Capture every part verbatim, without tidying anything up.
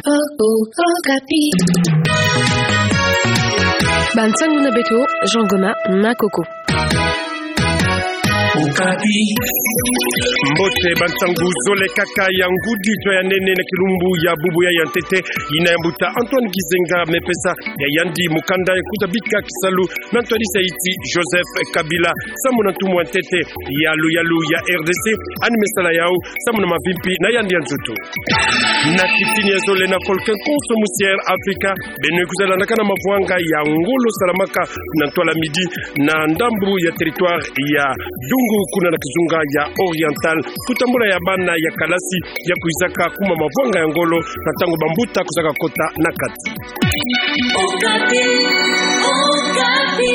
Oh, oh, Okapi. Bansangu na beto, Jean Goma, na Coco. Okapi. Mbote, bansangu zole kaka ya ngudi, tio ya nene na kilumbu ya bubu ya ya ntete, ina ya mbuta Antoine Gizenga me pesa ya yandi mukanda ya kwiza bika kisalu na ntwadisi ya insi Joseph Kabila, samu na ntumwa ya ntete ya luyalu ya R D C, yandi me sala yau samu na mavimpi na yandi ya nzoto. Na kitini ya zole na volcan konso mu Sierra Africa, beno kwiza landakana mavwanga ya ngolo salamaka na ntwala midi na ndambu ya territoire ya Dungu, kuna na kizunga ya Oriental, kutambula ya bana ya kalasi ya kwizaka kuma mavwanga ya ngolo na ntangu bambuta kwizaka kota na kati. Okapi, Okapi.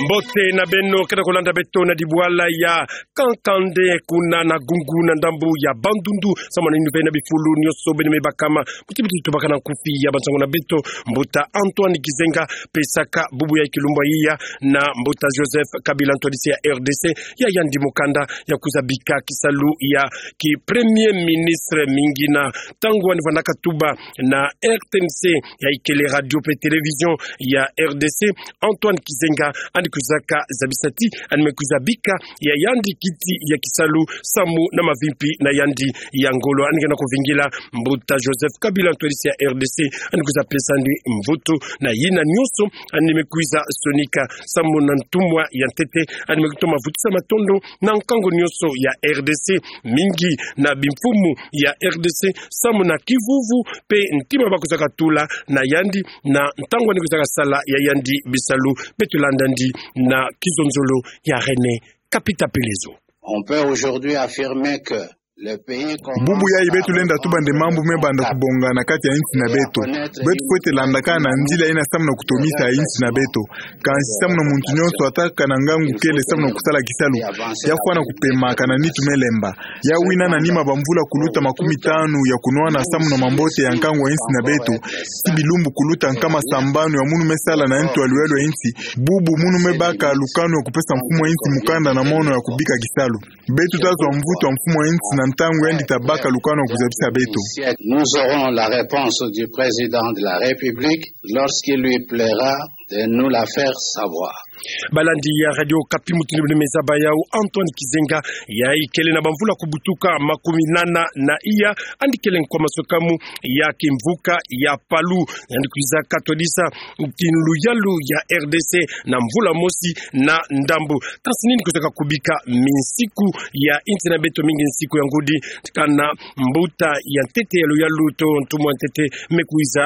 Mbote na beno, kena kolanda beto na dibwala ya Kankande, kuna na Gungu na ndambu ya Bandundu, samu na yinu ve na bifulu nyonso beno me bakama, kuti beto tubakana nkufi ya bansangu na beto, mbuta Antoine Gizenga pesaka bubu ya kilumbu ya iya na mbuta Joseph Kabila, ntwadisi ya R D C, ya yandi mukanda ya kwiza bika kisalu ya ki premier ministre. Mingi na ntangu yandi vwandaka tuba na R T N C, ya ikele radio pe télévision ya R D C, Antoine Gizenga yandi kwizaka zabisa ti yandi me kwiza bika ya yandi kiti ya kisalu samu na mavimpi na yandi ya ngolo. Yandi kena kovingila mbuta Joseph Kabila, ntwadisi ya R D C, yandi kwiza pesa yandi mvutu na yina nyonso yandi me kwiza sonika samu na ntumwa ya ntete. Yandi me kutoma vutusa matondo na nkangu nyonso ya R D C, mingi na bimfumu ya R D C, samu na kivuvu pe ntima bakwizaka tula na yandi na ntangu yandi kwizaka sala ya yandi bisalu. Beto landa yandi na kizonzolo ya René Kapita Pelezo. On peut aujourd'hui affirmer que le pays commence... Bubu yayi beto lenda tuba nde mambu me banda kubonga na kati ya insi na beto. Beto fwete landakana nzila ina samu na kutomisa insi na beto. Kansi samu na muntu nyonso atakana ngangu kele samu na kusala kisalu, ya fwana kupema kana nitu me lemba. Ya wina na nima bamvula kuluta makumi tanu ya kunwana samu na mambote ya nkangu ya insi na beto, ti bilumbu kuluta nkama sambanu ya munu me sala na ntu ya luyalu ya insi, bubu munu me baka lukanu ya kupesa mfumu ya insi mukanda na mono ya kubika kisalu. Beto tazwa mvutu ya mfumu ya insi na ntangu yandi tabaka lukanu ya kuzabisa beto. Nous aurons la réponse du président de la République lorsqu'il lui plaira de nous la faire savoir. Balandi ya Radio Okapi, mutindu beno me zaba yau, Antoine Gizenga, yayi kele na bamvula kubutuka makumi nana na iya, yandi kele nkwa masukamu ya kimvuka ya Palu. Yandi kwizaka twadisa luyalu ya R D C na mvula mosi na ndambu. Kansi nini kwizaka kubika minsiku ya insi na beto, mingi nsiku ya ngudi, kana mbuta ya ntete ya luyalu to ntumwa ya ntete me kwiza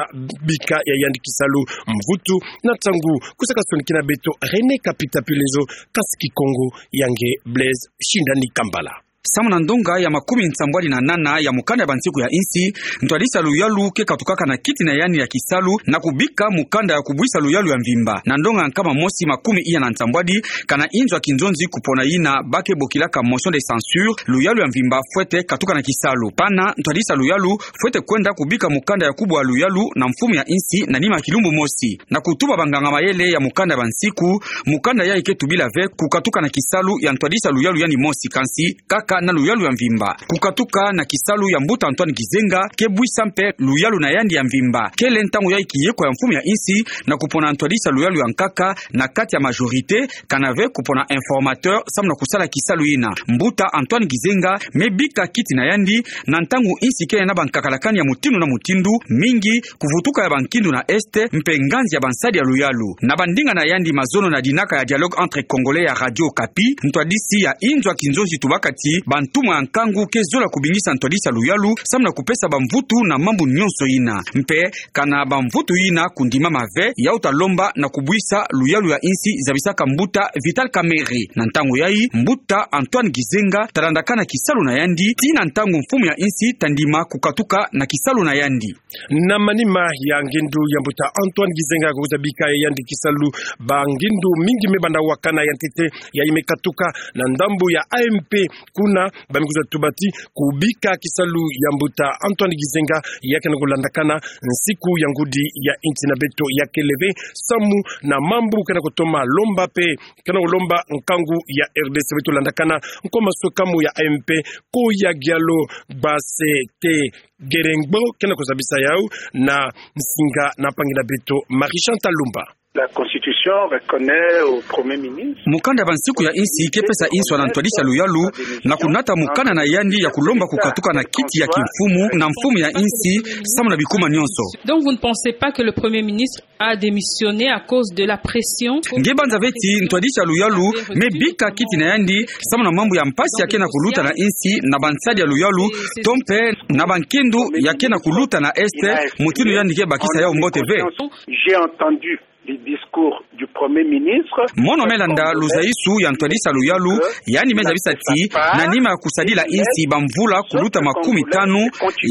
bika ya yandi kisalu? Mvutu na ntangu kwizaka sonikina beto René Kapita Pelezo, kansi Kikongo ya nge Blaise Shindani Kambala. Samu na ndonga ya makumi nsambwadi na nana ya mukanda ya bansiku ya insi, ntwadisi ya luyalu ke katukaka na kiti na yandi ya kisalu na kubika mukanda ya kubwisa luyalu ya mvimba. Na ndonga ya nkama mosi makumi iya na nsambwadi, kana inzo ya kinzonzi kupona yina ba ke bokilaka motion de censure, luyalu ya mvimba fwete katuka na kisalu. Pana ntwadisi ya luyalu fwete kwenda kubika mukanda ya kubwa luyalu na mfumu ya insi na nima ya kilumbu mosi. Na kutuba banganga mayele ya mukanda ya bansiku, mukanda yayi ke tubila ve kukatuka na kisalu ya ntwadisi ya luyalu yandi mosi, kansi kaka na luyalu ya mvimba. Kukatuka na kisalu ya mbuta Antoine Gizenga ke bwisa mpe luyalu na yandi ya mvimba. Kele ntangu yayi kiyekwa ya mfumu ya insi na kupona ntwadisi ya luyalu ya nkaka na kati ya majorité, kana ve kupona informateur samu na kusala kisalu yina. Mbuta Antoine Gizenga me bika kiti na yandi na ntangu insi kele na bankakalakani ya mutindu na mutindu, mingi kuvutuka ya bankindu na Est mpe nganzi ya bansadi ya luyalu. Na bandinga na yandi mazono na dinaka ya Dialogue entre Congolais ya Radio Okapi, ntwadisi ya inzo ya kinzonzi tubaka ti bantumwa ya nkangu ke zola kubingisa ntwadisi ya luyalu samu na kupesa bamvutu na mambu nyonso yina. Mpe kana bamvutu yina kundimama ve, yau ta lomba na kubwisa luyalu ya insi, zabisaka mbuta Vital Kamerhe. Na ntangu yayi, mbuta Antoine Gizenga ta landakana kisalu na yandi tii na ntangu mfumu ya insi ta ndima kukatuka na kisalu na yandi. Na manima ya ngindu ya mbuta Antoine Gizenga ya kwiza bika ya yandi kisalu, bangindu mingi me banda wakana. Ya ntete yayi me katuka na ndambu ya A M P, kuna Na bami kwiza tuba ti kubika kisalu ya mbuta Antoine Gizenga, ya kena kulandakana nsiku ya ngudi ya insi na beto ya kele ve, samu na mambu kena kutoma lomba pe kena kulomba nkangu ya R D C. Beto landakana nkwa maswekamu ya A M P, Koya Gialo Basete Gerengbo kena kuzabisa yau na nsinga na mpangi na beto Marie Chantal Lumba. La Constitution reconnaît au Premier ministre. Mukanda ya bansiku ya insi ke pesa inswa na ntwadisi ya luyalu na kunata mukanda na yandi ya kulomba kukatuka na kiti ya kimfumu na mfumu ya insi, samu na bikuma nyonso. Donc vous ne pensez pas que le Premier ministre a démissionné à cause de la pression? Nge banza ve ti ntwadisi ya luyalu me bika kiti na yandi samu na mambu ya mpasi ya kena kuluta na insi na bansadi ya luyalu, to mpe na bankindu ya kena kuluta na Est, mutindu yandi ke bakisa yau mbote ve. J'ai entendu le discours du Premier ministre. Mono me landa luzayisu ya ntwadisi ya luyalu, yandi me zabisa ti na nima ya kusadila insi bamvula kuluta makumi tanu,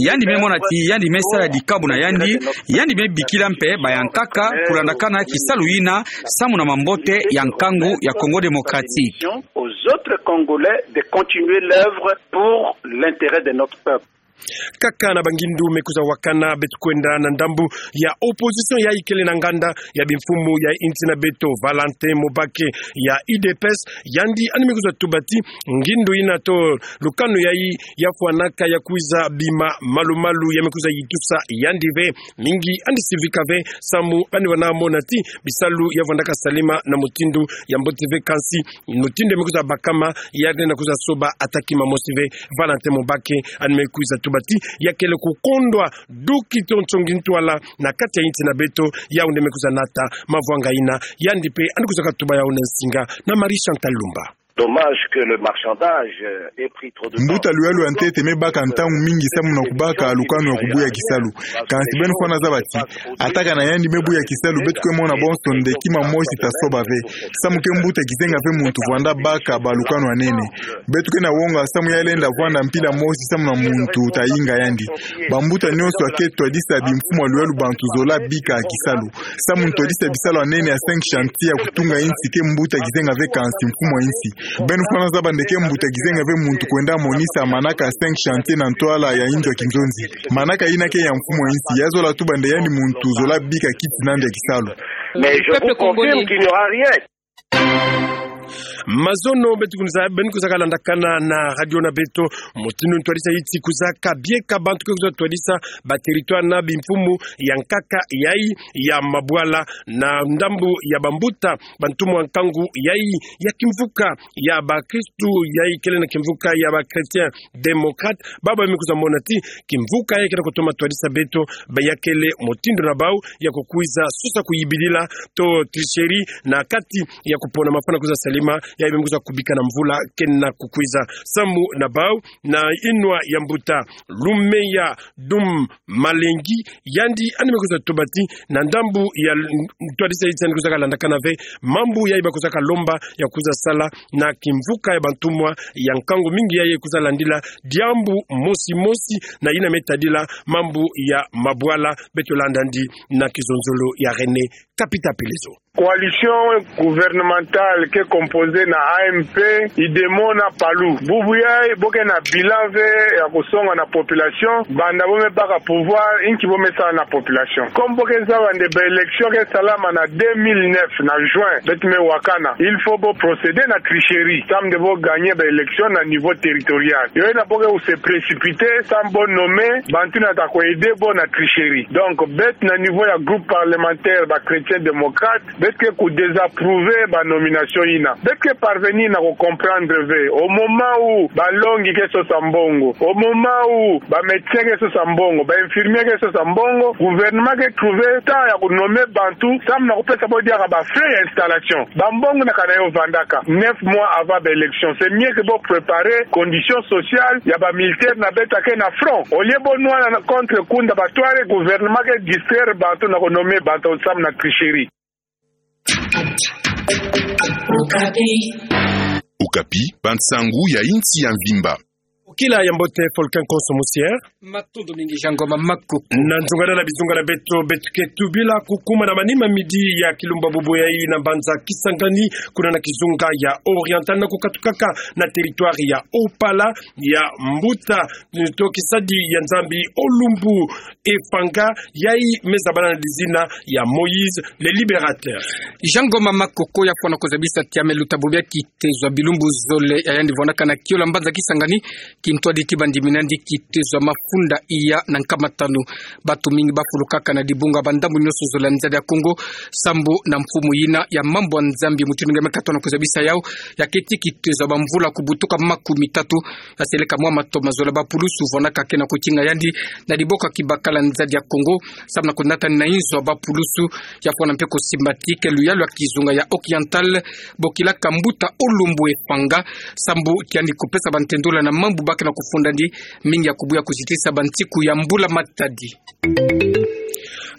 yandi me mona ti yandi me sala dikabu na yandi, yandi me bikila mpe bayankaka kulandakana kisalu yina samu na mambote ya nkangu ya Congo Démocratique. Aux autres Congolais de continuer l'œuvre pour l'intérêt de notre peuple. Kaka na bangindu me kwiza wakana, beto kwenda na ndambu ya opposition yayi kele na nganda ya bimfumu ya insi na beto, Valentin Mubake ya U D P S, yandi yandi me kwiza tuba ti ngindu yina to lukanu yayi ya fwanaka ya kwiza bima malu-malu ya me kwiza yitusa yandi ve. Mingi yandi sivika ve samu yandi wana mona ti bisalu ya vandaka salima na mutindu ya mbote ve, kansi mutindu ya me kwiza bakama, yandi na kwiza soba ata kima mosi ve. Valentin Mubake yandi me kwiza tuba ti ya kele kukondwa du kitonso ngi ntwala na kati ya insi na beto, yau nde me kwiza nata mavwanga yina. Yandi mpe yandi kwiza katuba yau na nsinga na Marie Chantal Lumba. Dommage que le marchandage, euh, ait pris trop de temps. Mbuta luyalu ya ntete me baka ntangu mingi samu na kubaka lukanu ya kubuya kisalu. Kansi beno fwana zaba ti ata kana yandi me buya kisalu, beto ke mona bonso nde kima mosi ta soba ve. Samu ke mbuta kizenga ve muntu vwanda baka balukanu ya nene. Beto ke na wonga samu ya lenda vwanda mpila mosi samu na muntu ta yinga yandi. Bambuta nyonso ya ke twadisa bimfumu ya luyalu bantu zola bika kisalu. Samu ntwadisi ya bisalu ya nene ya cinq chantiers ya kutunga insi ke mbuta kizenga ve, kansi mfumu ya insi. Beno fwana zaba nde ke mbuta kizenga ve muntu kwenda monisa manaka cinq chantiers na ntwala ya inzo ya kinzonzi. Manaka yina ke ya mfumu ya insi. Ya zola tuba nde yandi muntu zola bika kiti na nde ya kisalu. Mais je vous confirme qu'il n'y aura rien. Mazono beto kwiza, beno kwiza kalandakana na radio na beto, mutindu ntwadisi ya insi kwizaka bieka, bantu ke kwiza twadisa ba territoire na bimfumu ya nkaka yayi ya mabwala na ndambu ya bambuta bantumwa nkangu yayi ya kimvuka ya bakristu yayi kele na kimvuka ya ba chrétiens démocrates. Baba me kwiza mona ti kimvuka yayi kena kutoma twadisa beto, ba ya kele mutindu na bau ya kukwiza sosa kuyibidila to tricherie na kati ya kupona mafana kwiza salima, yayi me kwiza kubika na mvula kena kukwiza. Samu na bau na inwa ya mbuta Lumeya Dum Malengi, yandi yandi me kwiza tuba ti na ndambu ya l-, ntwadisi ya insi yandi kwiza kalandakana ve mambu yayi ba kwiza kalomba ya kwiza sala na kimvuka ya bantumwa ya nkangu mingi yayi kwiza landila diambu mosi mosi na yina me tadila mambu ya mabwala. Beto landa yandi na kizonzolo ya René Kapita Pelezo. Coalition gouvernementale ke composée na A M P, UDEMO na PALU. Bubu yayi bo ke na bilan ve ya kusonga na population, banda bo me baka pouvoir, inki bo me sala na population. Comme bo ke zaba nde ba élection ke salama na deux mille neuf na juin, beto me wakana, il faut bo procéder na tricherie samu nde bo gagner ba élection na niveau territorial. Yo yina bo ke ku se précipiter samu bo nommer bantu yina ta ku aider bo na tricherie. Donc, beto na niveau ya groupe parlementaire ba chrétiens démocrates, beto ke ku désapprouver ba nomination yina. Beto ke parvenir na ku comprendre ve, au moment où ba longi ke sosa mbongo, au moment où ba médecins ke sosa mbongo, ba infirmiers ke sosa mbongo, gouvernement ke trouver temps ya ku nommer bantu samu na kupesa bo diaka ba frais ya installation. Ba mbongo yina kana yo vandaka neuf mois avant ba élection. C'est mieux que bo préparer condition sociale ya ba militaires na beto ke na front. Au lieu bo nwana na contre kunda ba tware, gouvernement ke distraire bantu na ku nommer bantu samu na tricherie. Okapi, bansangu ya insi ya mvimba. Kila ya mbote Folkin Konso Musier. Matondo mingi Jean Ngoma Makoko. Na nzunga na bizunga na beto, beto ke tubila kukuma na manima midi ya kilumbu bubu yayi na mbanza Kisangani, kuna na kizunga ya Oriental na kukatukaka na territoire ya Opala, ya mbuta to kisadi ya Nzambi Olumbu Efanga, yayi me zabana na dizina ya Moïse le Libérateur. Jean Ngoma Makoko, ya fwana kuzabisa ti ame luta bubu ya kitezo ya bilumbu zole ya yandi vwanaka na kiolo ya mbanza Kisangani, kintwadi ti bandi minandi kitezo ya mafunda iya na nkama tanu. Bantu mingi bafulukaka na dibunga ba ndambu nyonso zole ya nzadi ya Kongo, sambu na mfumu yina ya mambu ya Nzambi mutindu nge me katona kuzabisa yau, ya keti kitezo ya bamvula kubutuka makumi tatu, ya seleka mwa mato ma zole ya bapulusu vwanaka ke na kukinga yandi na diboko ya kibakala ya nzadi ya Kongo, sambu na kunatani na inzo ya bapulusu. Ya fwana mpe kusimba ti ke luyalu ya kizunga ya Oriental bokilaka mbuta Olumbu Efanga, sambu ti yandi kupesa bantendola na mambu ba ke na kufundandi, mingi ya kubuya kuzitisa bantiku ya mbula matadi.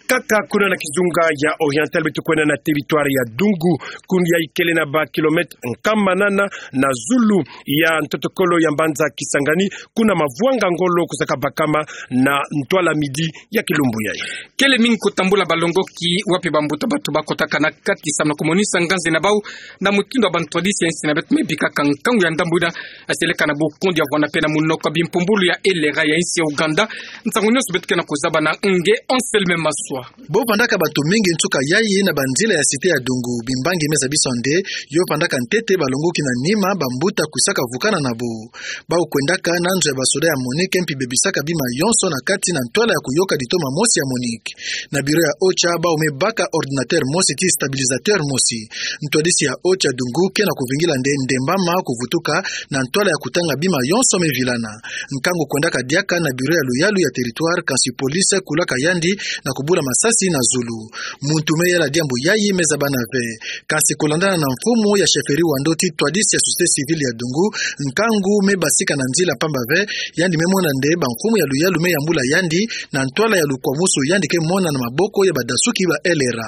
Kaka kuna na kizunga ya Oriental, beto kwenda na territoire ya Dungu, kuna yayi kele na ba kilomètre nkama nana na zulu ya ntotokolo ya mbanza Kisangani, kuna mavwanga ngolo kuzaka bakama na ntwala midi ya kilumbu yayi. Kele mingi kutambula balongoki wapi bambuta bantu bakotaka na kati sambu na kumonisa nganzi na bau na mutindu ya bantwadisi ya insi na beto me bikaka nkangu ya ndambu yina, ya seleka na bukundi ya vwanda mpe na munoko ya bimpumbulu ya elera ya insi ya Ouganda. Nsangu nyonso beto ke na kuzaba na nge Anselme Maswa. Bo vandaka bantu mingi nsuka yayi na banzila ya cité ya Dungu, bimbangi me zabiswa nde yo vandaka ntete balongoki na nima bambuta kwisaka vukana na bo. Bau kwendaka na nzo ya basoda ya MONUC mpi bebisaka bima yonso na kati na ntwala ya kuyoka ditoma mosi ya MONUC. Na bureau ya OCHA bau me baka ordinateur mosi ti stabilisateur mosi. Ntwadisi ya OCHA Dungu ke na kuvingila nde ndembama kuvutuka na ntwala ya kutanga bima yonso me vilana. Nkangu kwendaka diaka na bureau ya luyalu ya territoire, kansi police kulaka yandi na kubula masasi na zulu. Muntu me yala diambu yayi me zabana ve. Kansi kulandana na mfumu ya chefferie Wando ti twadisi ya société civile ya Dungu, nkangu me basika na nzila pamba ve, yandi me mona nde bamfumu ya luyalu me yambula yandi na ntwala ya lukwamusu yandi ke mona na maboko ya badasuki ba elera.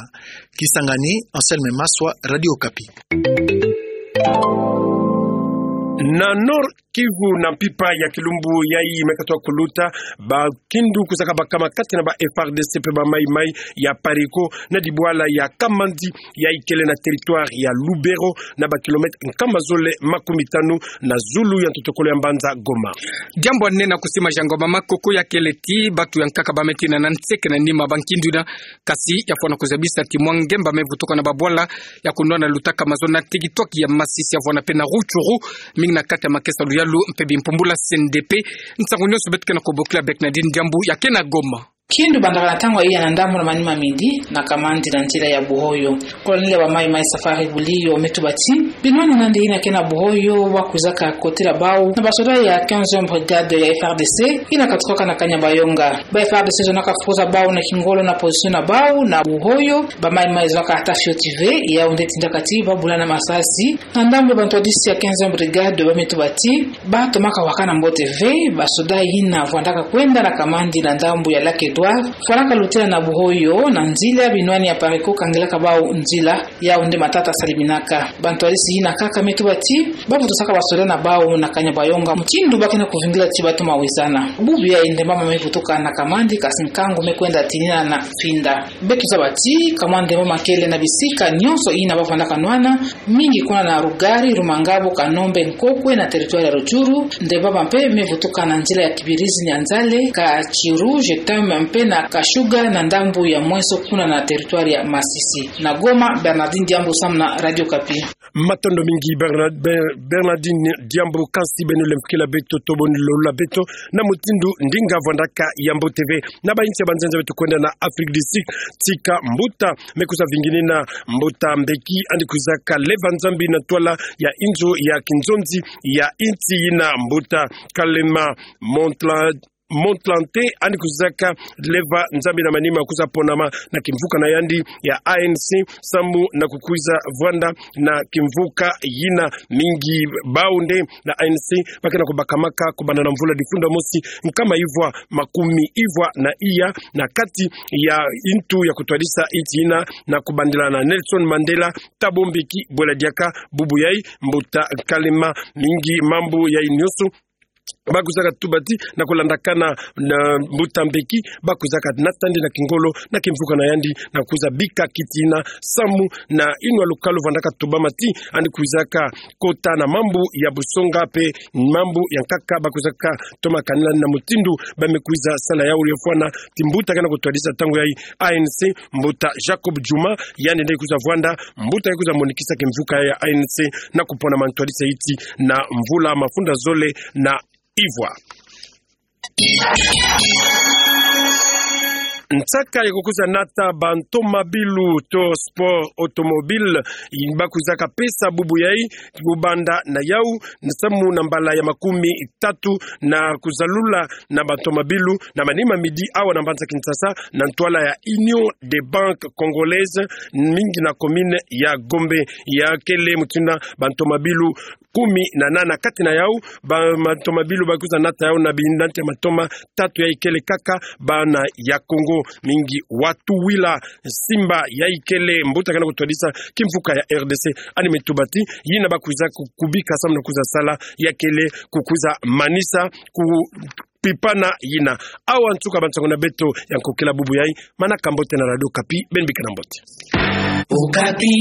Kisangani, Anselme Maswa, Radio Okapi. Na Nord Kivu, na mpimpa ya kilumbu yayi me katuka kuluta, bakindu kuzaka bakama kati na ba F A R D C mpe ba Maï-Maï ya PARECO na dibwala ya Kamandi, yayi kele na territoire ya Lubero, na ba kilomètre nkama zole makumi tanu na zulu ya ntotokolo ya mbanza Goma. Diambu ya nene na kusima, Jean Ngoma Makoko, ya kele ti bantu ya nkaka ba me tina na nseke na nima bankindu yina, kasi ya fwana kuzabisa ti mwa ngemba me vutuka na babwala ya kunwana lutaka mazono na territoire ya Masisi, ya vwanda mpe na Rutshuru, mingi na kati ya makesa luyalu mpe bimpumbulu ya C N D P. Nsangu nyonso beto ke na kubokila Bernardine Diambu ya ke na Goma. Kindu bandaka na ntangu ya iya na ndambu na manima midi na Kamandi na nzila ya Buhoyo. Colonel ya ba Maï-Maï Safari Bulio me tuba ti binwani na nde yina ke na Buhoyo wa kwizaka kotila bau na basoda ya quinzième brigade ya F A R D C yina katukaka na Kanyabayonga. Ba F A R D C zonaka fuza bau na kingolo na position na bau na Buhoyo. Ba Maï-Maï zonaka ata fioti ve, yau nde tindaka ti babulana masasi. Na ndambu ya bantwadisi ya quinzième brigade ba me tuba ti batomaka wakana mbote ve, basoda yina vwandaka kwenda na Kamandi na ndambu ya Lac Edouard, fwanaka lutela na Buhoyo na nzila, binwani ya PARECO kangilaka bau nzila. Yau nde matata saliminaka. Bantwadisi yina kaka me tuba ti bavutusaka basoda na bau na Kanyabayonga mutindu ba ke na kuvingila ti batoma wizana. Bubu yayi ndembama me vutuka na Kamandi, kasi nkangu me kwenda tinina na finda. Beto zaba ti kamwa ndembama kele na bisika nyonso yina ba vwandaka nwana, mingi kuna na Rugari, Rumangabo, Kanombe, Nkokwe na territoire ya Rutshuru. Ndembama mpe me vutuka na nzila ya Kibirizi, Nyanzale, Katshiru, Jetem mpe na Kashuga na ndambu ya Mweso kuna na territoire ya Masisi. Na Goma, Bernardine Diambu samu na Radio Okapi. Matondo mingi Bernard-, Ber-, Bernardine Diambu, kansi beno lemfukila beto, toboni lolula beto na mutindu ndinga vwandaka ya mbote ve. Na ba insi ya banzenza beto kwenda na Afrique du Sud, tika mbuta me kwiza vinginina, mbuta Mbeki, yandi kwizaka leva Nzambi na ntwala ya inzo ya kinzonzi ya insi yina, mbuta Kalema Montla-, Motlanthe, yandi kwizaka leva Nzambi na manima kwiza ponama na kimvuka na yandi ya A N C, samu na kukwiza vwanda na kimvuka yina. Mingi bau nde na A N C ba ke na kubakamaka kubanda na mvula difunda mosi nkama ivwa makumi ivwa na iya na kati ya ntu ya kutwadisa insi yina na kubandila na Nelson Mandela, Thabo Mbeki, bwela diaka bubu yayi, mbuta Kalema. Mingi mambu yayi nyonso bakwizaka tuba ti, na kulandakana na mbuta Mbeki, bakwizaka nata yandi na kingolo, na kimvuka na yandi, na kwiza bika kiti na samu, na inwa lukalu vandaka tubama ti, yandi kwizaka kota na mambu ya busonga mpe mambu ya nkaka, bakwizaka toma kanila na mutindu bamekwiza sala yau. Yefwana ti mbuta kena kutwadisa ntangu yayi A N C, mbuta Jacob Djuma, yandi nde kwiza vwanda mbuta kwiza monikisa kimvuka ya A N C na kupona mantwadisa yiti na mvula mafunda zole na ivwa. Nsaka ya kukwiza nata bantomabilu to sport automobile, bakwizaka pesa bubu yayi, kubanda na yau, na samu na mbala ya makumi tatu na kuzalula na bantomabilu, na manima midi awa na mbanza Kinshasa, na ntwala ya Union des Banques Congolaises, mingi na commune ya Gombe, ya kele mutindu na bantomabilu kumi na nana. Kati na yau, ba, bantomabilu bakwiza nata yau na binati ya matoma tatu yayi kele kaka bana ya Kongo, mingi Watuwila Simba yayi kele mbuta kena kutwadisa kimvuka ya R D C, yandi me tuba ti yina bakwiza ku-, kubika samu na kwiza sala ya kele kukwiza manisa ku pipana yina. Awa nsuka bansango na beto ya nkokila bubu yayi. Manaka mbote na Radio Okapi, beno bikana mbote. Okapi.